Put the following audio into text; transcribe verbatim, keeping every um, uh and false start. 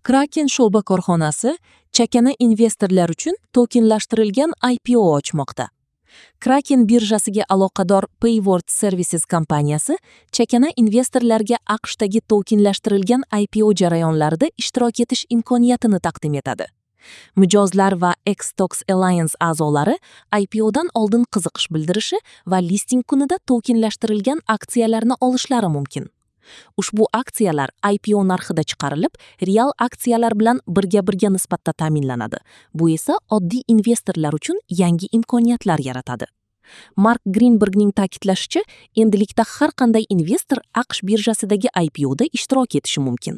Kraken sho'ba korxonasi chakana investorlar uchun tokenlashtirilgan I P O ochmoqda. Kraken birjasiga aloqador Payward Services kompaniyasi chakana investorlarga A Q Shdagi tokenlashtirilgan I P O jarayonlarida ishtirok etish imkoniyatini taqdim etadi. Mijozlar va xStocks Alliance a'zolari I P O'dan oldin qiziqish bildirishi va listing kunida tokenlashtirilgan aksiyalarni olishlari mumkin. Ushbu aksiyalar I P O narxida chiqarilib, real aksiyalar bilan birga-birga nisbatda ta'minlanadi. Bu esa oddiy investorlar uchun yangi imkoniyatlar yaratadi. Mark Grinbergning ta'kidlashicha, endilikda har qanday investor A Q Sh birjasidagi I P O'da ishtirok etishi mumkin.